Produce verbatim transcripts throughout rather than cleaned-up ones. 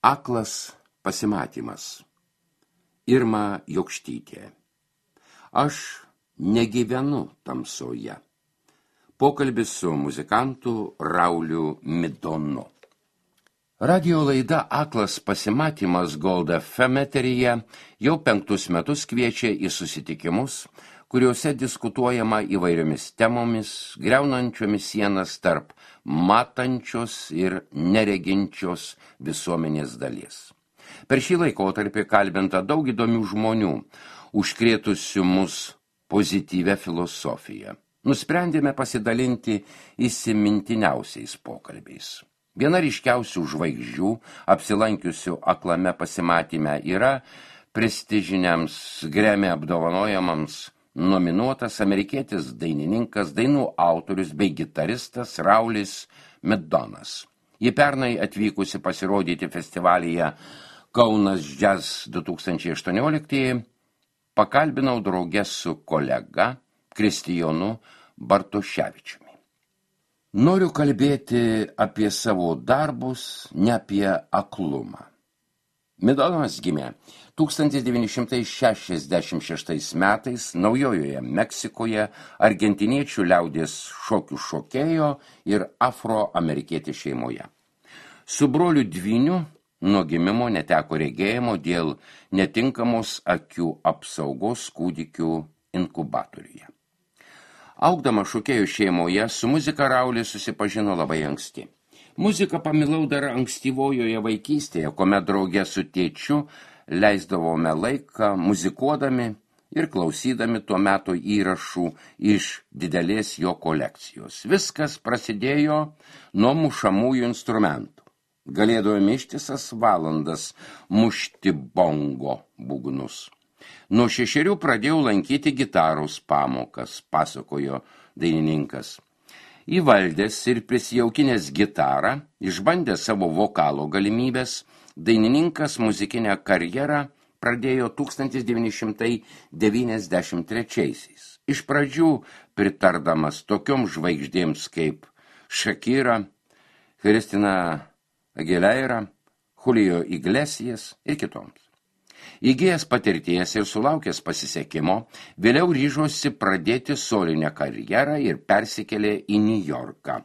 Aklas pasimatymas. Irma Jokštytė. Aš negyvenu tamsoje. Pokalbis su muzikantu Rauliu Midonu. Radio laida Aklas pasimatymas Gold F M eteryje jau penktus metus kviečia į susitikimus, kuriuose diskutuojama įvairiomis temomis, griaunančiomis sienas tarp matančios ir nereginčios visuomenės dalies. Per šį laikotarpį kalbinta daug įdomių žmonių, užkrėtusių mus pozityvę filosofiją. Nusprendėme pasidalinti įsimintiniausiais pokalbiais. Viena ryškiausių žvaigždžių, apsilankiusių aklame pasimatyme, yra prestižiniams Grammy apdovanojimams nominuotas amerikietis dainininkas, dainų autorius bei gitaristas Raulis Midonas. Ji pernai atvykusi pasirodyti festivalyje Kaunas Jazz du tūkstančiai aštuonioliktieji, pakalbinau drauge su kolega Kristijonu Bartoševičiumi. Noriu kalbėti apie savo darbus, ne apie aklumą. Midonas gimė tūkstantis devyni šimtai šešiasdešimt šeštais metais Naujojoje Meksikoje argentiniečių liaudies šokių šokėjo ir afroamerikietė šeimoje. Su broliu dvyniu nuo gimimo neteko regėjimo dėl netinkamos akių apsaugos kūdikių inkubatoriuje. Augdama šokėjų šeimoje, su muzika Raulis susipažino labai anksti. Muziką pamilau dar ankstyvojoje vaikystėje, kuomet drauge su tėčiu leisdavome laiką muzikuodami ir klausydami tuo metu įrašų iš didelės jo kolekcijos. Viskas prasidėjo nuo mušamųjų instrumentų. Galėdavome ištisas valandas mušti bongo būgnus. Nuo šešerių pradėjau lankyti gitaros pamokas, pasakojo dainininkas. Įvaldęs ir prisijaukinęs gitarą, išbandęs savo vokalo galimybės, dainininkas muzikinę karjerą pradėjo tūkstantis devyni šimtai devyniasdešimt trečiaisiais. Iš pradžių pritardamas tokioms žvaigždėms kaip Shakira, Christina Aguilera, Julio Iglesias ir kitoms. Įgijęs patirties ir sulaukęs pasisekimo, vėliau ryžosi pradėti solinę karjerą ir persikėlė į Niujorką,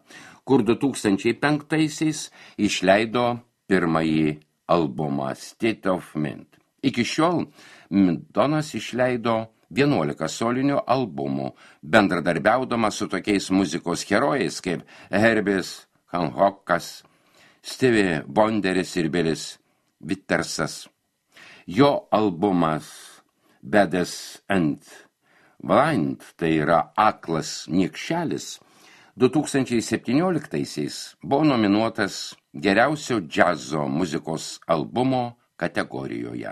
kur du tūkstančiai penktaisiais išleido pirmąjį albumą State of Mind. Iki šiol Midonas išleido vienuolika solinių albumų, bendradarbiaudamas su tokiais muzikos herojais kaip Herbis Hancockas, Stevie Wonderis ir Billis Wittersas. Jo albumas Baddest and Blind, tai yra Aklas niekšelis, du tūkstančiai septynioliktaisiais buvo nominuotas geriausio džiazo muzikos albumo kategorijoje.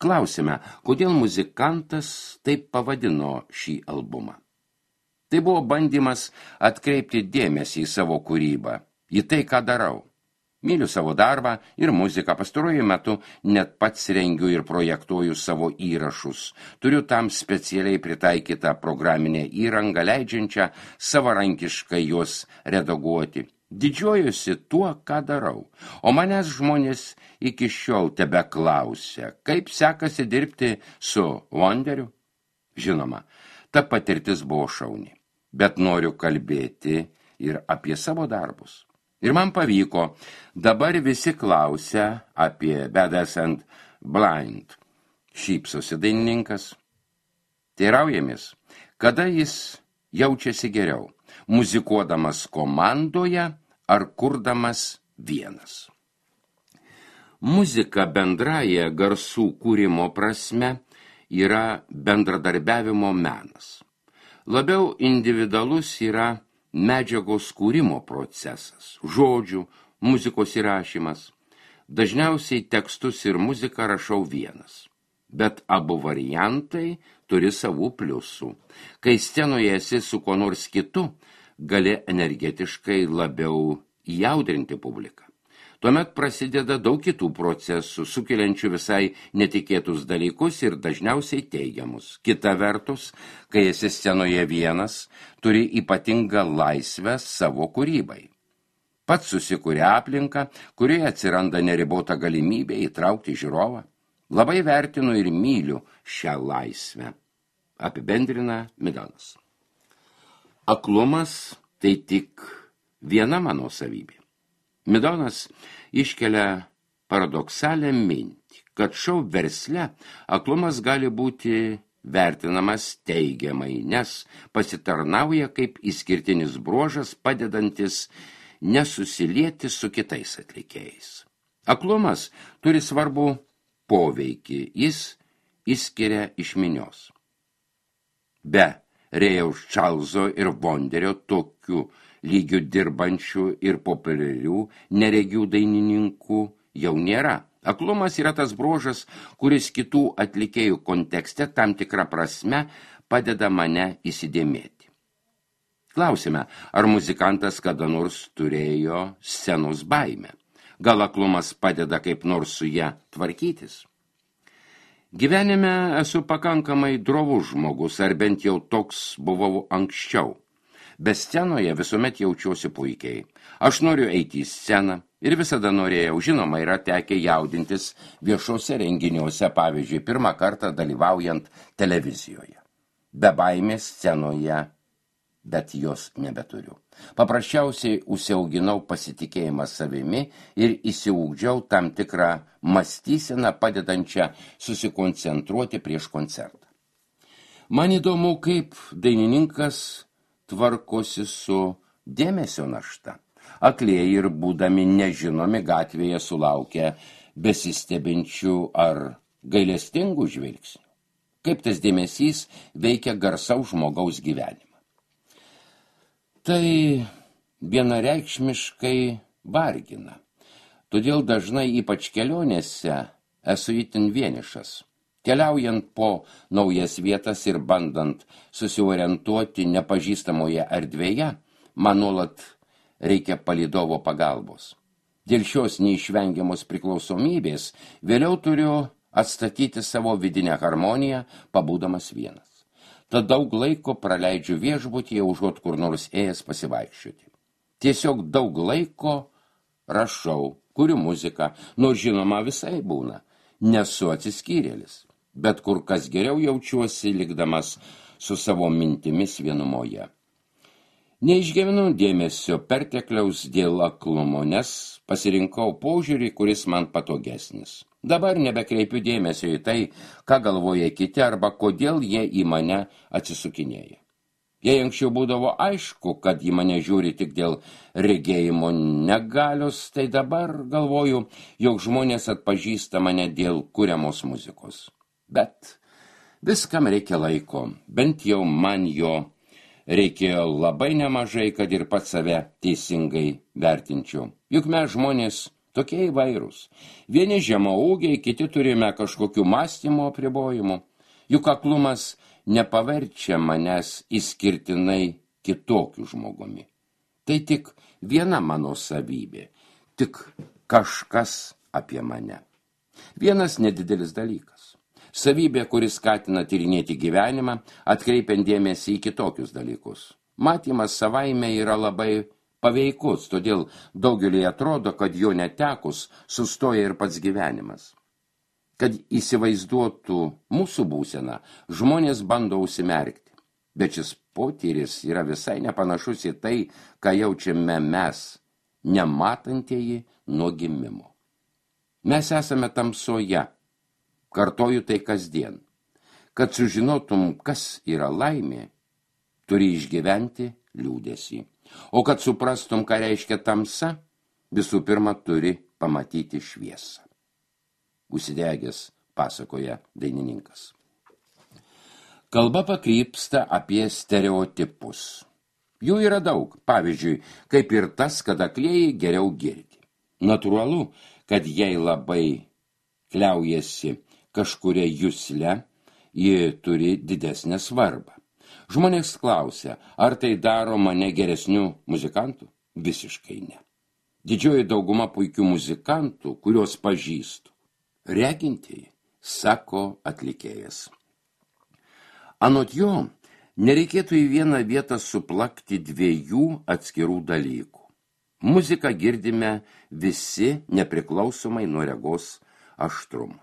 Klausime, kodėl muzikantas taip pavadino šį albumą. Tai buvo bandymas atkreipti dėmesį į savo kūrybą, į tai, ką darau. Myliu savo darbą ir muziką, pastaruoju metu net pats rengiu ir projektuoju savo įrašus. Turiu tam specialiai pritaikytą programinę įrangą, leidžiančią savarankiškai juos redaguoti. Didžiuojuosi tuo, ką darau, o manęs žmonės iki šiol tebe klausia, kaip sekasi dirbti su Wonderiu. Žinoma, ta patirtis buvo šauni, bet noriu kalbėti ir apie savo darbus. Ir man pavyko, dabar visi klausia apie Baddest and Blind. Šypsosi dainininkas. Teiraujamės, kada jis jaučiasi geriau, muzikuodamas komandoje ar kurdamas vienas. Muzika bendraja garsų kūrimo prasme yra bendradarbiavimo menas. Labiau individualus yra medžiagos kūrimo procesas, žodžių, muzikos įrašymas. Dažniausiai tekstus ir muziką rašau vienas, bet abu variantai turi savų pliusų. Kai scenoje esi su kuo nors kitu, gali energetiškai labiau įjaudrinti publiką. Tuomet prasideda daug kitų procesų, sukeliančių visai netikėtus dalykus ir dažniausiai teigiamus. Kita vertus, kai esi scenoje vienas, turi ypatingą laisvę savo kūrybai. Pats susikuria aplinką, kurioje atsiranda neribota galimybė įtraukti žiūrovą. Labai vertinu ir myliu šią laisvę, apibendrina Midonas. Aklumas tai tik viena mano savybė. Midonas iškelia paradoksalią mintį, kad šou versle aklumas gali būti vertinamas teigiamai, nes pasitarnauja kaip išskirtinis bruožas, padedantis nesusilieti su kitais atlikėjais. Aklumas turi svarbų poveikį, jis išskiria iš minios. Be Rėjaus Čarlzo ir Vonderio tokių lygių dirbančių ir populiarių neregių dainininkų jau nėra. Aklumas yra tas bruožas, kuris kitų atlikėjų kontekste tam tikrą prasme padeda mane įsidėmėti. Klausime, ar muzikantas kada nors turėjo scenos baimę? Gal aklumas padeda kaip nors su ją tvarkytis? Gyvenime esu pakankamai drovus žmogus, ar bent jau toks buvau anksčiau. Be scenoje visuomet jaučiuosi puikiai. Aš noriu eiti į sceną ir visada norėjau, žinoma, yra tekę jaudintis viešuose renginiuose, pavyzdžiui, pirmą kartą dalyvaujant televizijoje. Be baimės scenoje, bet jos nebeturiu. Paprasčiausiai užsiauginau pasitikėjimą savimi ir įsiugdžiau tam tikrą mąstyseną padedančią susikoncentruoti prieš koncertą. Man įdomu, kaip dainininkas tvarkosi su dėmesio našta. Aklieji ir būdami nežinomi gatvėje sulaukia besistebinčių ar gailestingų žvilgsnių. Kaip tas dėmesys veikia garsaus žmogaus gyvenimą. Tai vienareikšmiškai vargina. Todėl dažnai, ypač kelionėse, esu itin vienišas. Keliaujant po naujas vietas ir bandant susiorientuoti nepažįstamoje erdvėje, man nuolat reikia palydovo pagalbos. Dėl šios neišvengiamos priklausomybės vėliau turiu atstatyti savo vidinę harmoniją, pabūdamas vienas. Tad daug laiko praleidžiu viešbutyje, užuot kur nors ėjęs pasivaikščioti. Tiesiog daug laiko rašau, kuriu muziką, nors žinoma visai būna. Nesu atsiskyrėlis, bet kur kas geriau jaučiuosi likdamas su savo mintimis vienumoje. Neišgyvenu dėmesio pertekliaus dėl aklumo, nes pasirinkau požiūrį, kuris man patogesnis. Dabar nebekreipiu dėmesio į tai, ką galvoja kiti arba kodėl jie į mane atsisukinėja. Jei anksčiau būdavo aišku, kad į mane žiūri tik dėl regėjimo negalios, tai dabar galvoju, jog žmonės atpažįsta mane dėl kuriamos muzikos. Bet viskam reikia laiko, bent jau man jo reikėjo labai nemažai, kad ir pats save teisingai vertinčiau. Juk mes žmonės tokie įvairūs. Vieni žemaūgiai, kiti turime kažkokių mąstymo apribojimų. Juk aklumas nepaverčia manęs išskirtinai kitokiu žmogumi. Tai tik viena mano savybė, tik kažkas apie mane. Vienas nedidelis dalykas. Savybė, kuris skatina tyrinėti gyvenimą, atkreipiant dėmesį į kitokius dalykus. Matymas savaime yra labai paveikus, todėl daugeliui atrodo, kad jo netekus sustoja ir pats gyvenimas. Kad įsivaizduotų mūsų būseną, žmonės bando užsimerkti, bet šis potyris yra visai nepanašus į tai, ką jaučiame mes, nematantieji nuo gimimo. Mes esame tamsoje, kartoju tai kasdien. Kad sužinotum, kas yra laimė, turi išgyventi liūdesį. O kad suprastum, ką reiškia tamsa, visų pirma turi pamatyti šviesą. Užsidegęs pasakoja dainininkas. Kalba pakrypsta apie stereotipus. Jų yra daug, pavyzdžiui, kaip ir tas, kad aklieji geriau girdi. Natūralu, kad jei labai kliaujasi kažkuria jusle, ji turi didesnę svarbą. Žmonės klausia, ar tai daro mane geresniu muzikantu? Visiškai ne. Didžioji dauguma puikių muzikantų, kuriuos pažįstu, regintieji, sako atlikėjas. Anot jo, nereikėtų į vieną vietą suplakti dviejų atskirų dalykų. Muziką girdime visi nepriklausomai nuo regos aštrumo.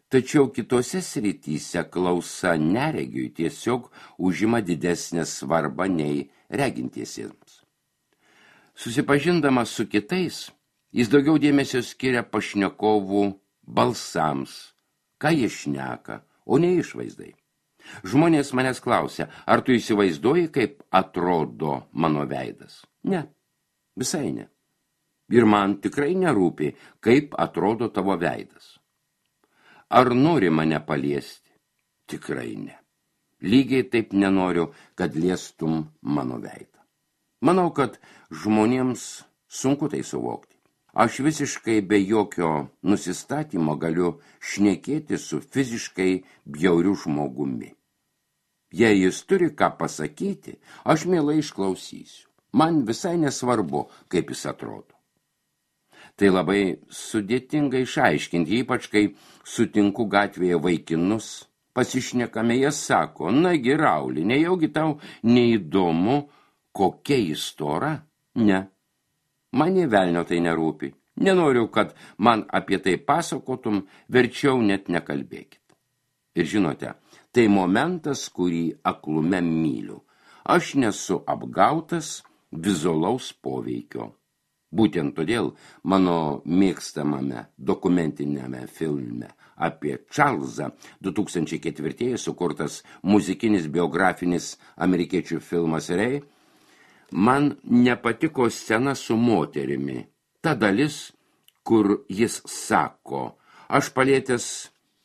Tačiau kitose srityse klausa neregiui tiesiog užima didesnę svarbą nei regintiesiems. Susipažindamas su kitais, jis daugiau dėmesio skiria pašnekovų balsams, ką jie šneka, o ne išvaizdai. Žmonės manęs klausia, ar tu įsivaizduoji, kaip atrodo mano veidas? Ne, visai ne. Ir man tikrai nerūpi, kaip atrodo tavo veidas. Ar nori mane paliesti? Tikrai ne. Lygiai taip nenoriu, kad liestum mano veidą. Manau, kad žmonėms sunku tai suvokti. Aš visiškai be jokio nusistatymo galiu šnekėti su fiziškai bjauriu žmogumi. Jei jis turi ką pasakyti, aš mielai išklausysiu. Man visai nesvarbu, kaip jis atrodo. Tai labai sudėtinga išaiškinti, ypač kai sutinku gatvėje vaikinus, pasišnekame, jie sako, nagi Rauli, nejaugi tau neįdomu, kokia istora? Ne. Man nė velnio tai nerūpi. Nenoriu, kad man apie tai pasakotum, verčiau net nekalbėkit. Ir žinote, tai momentas, kurį aklume myliu. Aš nesu apgautas vizualaus poveikio. Būtent todėl mano mėgstamame dokumentinėme filme apie Čarlzą du tūkstančiai ketvirtieji sukurtas muzikinis biografinis amerikiečių filmas Rei, man nepatiko scena su moterimi. Ta dalis, kur jis sako, aš palietęs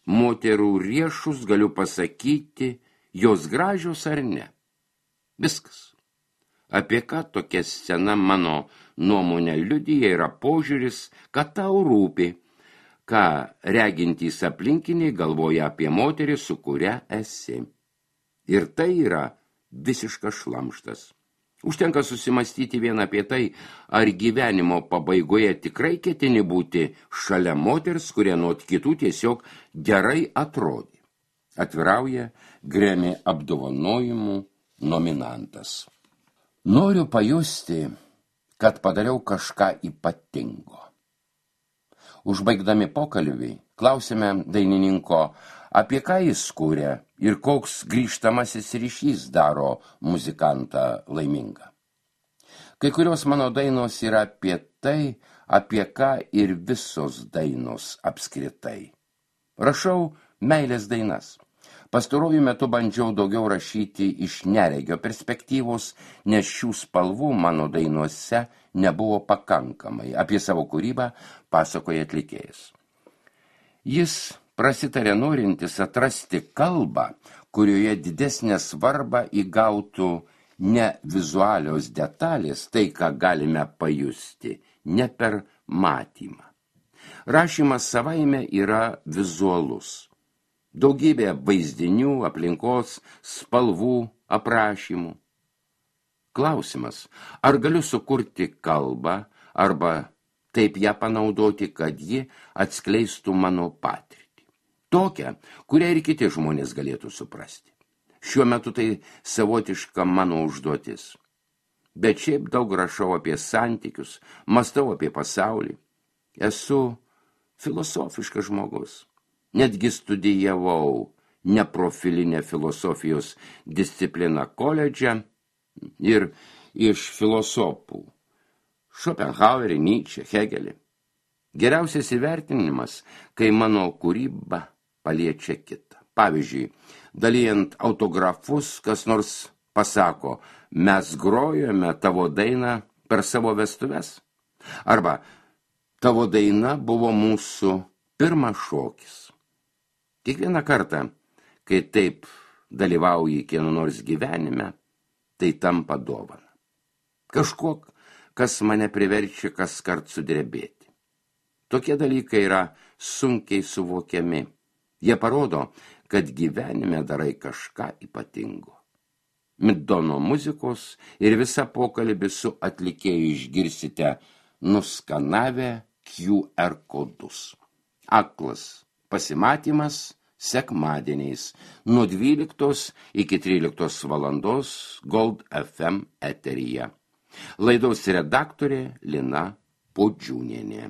moterų riešus galiu pasakyti, jos gražios ar ne. Viskas. Apie ką tokia scena mano nuomonė liudija yra požiūris, kad tau rūpi, ką regintys aplinkiniai galvoja apie moterį, su kuria esi. Ir tai yra visiškas šlamštas. Užtenka susimastyti vien apie tai, ar gyvenimo pabaigoje tikrai ketini būti šalia moters, kurie nuo kitų tiesiog gerai atrodė. Atvirauja Grammy apdovanojimų nominantas. Noriu pajusti, kad padariau kažką ypatingo. Užbaigdami pokalbį, klausėme dainininko, apie ką jis kūrė ir koks grįžtamasis ryšys daro muzikantą laimingą. Kai kurios mano dainos yra apie tai, apie ką ir visos dainos apskritai. Rašau meilės dainas. Pastaruoju metu bandžiau daugiau rašyti iš neregio perspektyvos, nes šių spalvų mano dainuose nebuvo pakankamai. Apie savo kūrybą pasakoja atlikėjas. Jis prasitarė norintis atrasti kalbą, kurioje didesnę svarbą įgautų ne vizualios detalės, tai ką galime pajusti, ne per matymą. Rašymas savaime yra vizualus. Daugybė vaizdinių, aplinkos, spalvų, aprašymų. Klausimas, ar galiu sukurti kalbą, arba taip ją panaudoti, kad ji atskleistų mano patirtį. Tokią, kurią ir kiti žmonės galėtų suprasti. Šiuo metu tai savotiška mano užduotis. Bet šiaip daug rašau apie santykius, mąstau apie pasaulį. Esu filosofiškas žmogus. Netgi studijavau neprofilinę filosofijos discipliną koledže ir iš filosofų Schopenhauerį, Nietzsche, Hegelį. Geriausias įvertinimas, kai mano kūryba paliečia kitą. Pavyzdžiui, dalijant autografus, kas nors pasako, mes grojome tavo dainą per savo vestuves. Arba tavo daina buvo mūsų pirmas šokis. Kiekvieną kartą, kai taip dalyvauji kieno nors gyvenime, tai tampa dovana. Kažkuo, kas mane priverčia kaskart sudrebėti. Tokie dalykai yra sunkiai suvokiami. Jie parodo, kad gyvenime darai kažką ypatingo. Middono muzikos ir visą pokalbį su atlikėju išgirsite nuskanavę Q R kodus. Aklas pasimatymas sekmadieniais nuo dvyliktos iki tryliktos valandos Gold F M eteryje. Laidos redaktorė Lina Podžiūnienė.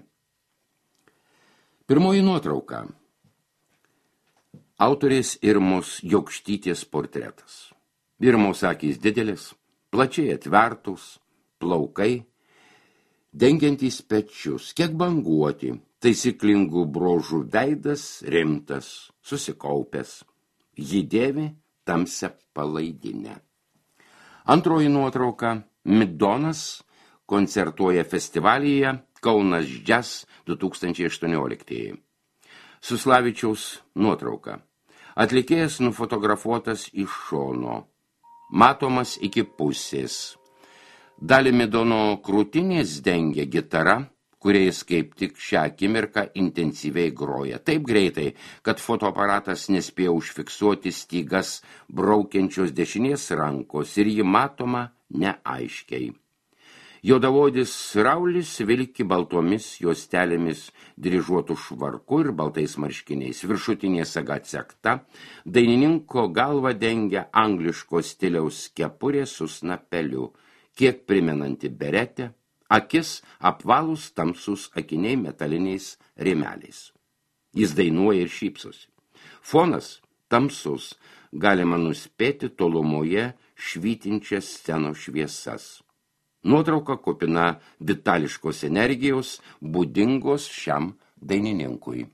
Pirmoji nuotrauka. Autorės Irmos Jokštytės portretas. Irmos akys didelis, plačiai atvertus, plaukai, dengiantys pečius, kiek banguoti, taisyklingų brožų veidas rimtas, susikaupęs. Ji dėvi tamsią palaidinę. Antroji nuotrauka. Midonas koncertuoja festivalyje Kaunas Jazz du tūkstančiai aštuonioliktieji. Suslavičiaus nuotrauka. Atlikėjas nufotografuotas iš šono, matomas iki pusės. Dalį Midono krūtinės dengia gitara, kuriais kaip tik šią akimirką intensyviai groja. Taip greitai, kad fotoaparatas nespėjo užfiksuoti stygas braukiančios dešinės rankos ir ji matoma neaiškiai. Juodavodis Raulis vilki baltomis juostelėmis dryžuotų švarku ir baltais marškiniais. Viršutinė saga atsekta, dainininko galva dengia angliško stiliaus kepurė su snapeliu, kiek primenanti beretę, akis apvalus tamsus akiniai metaliniais rėmeliais. Jis dainuoja ir šypsosi. Fonas tamsus, galima nuspėti tolumoje švytinčias scenos šviesas. Nuotrauka kupina vitališkos energijos, būdingos šiam dainininkui.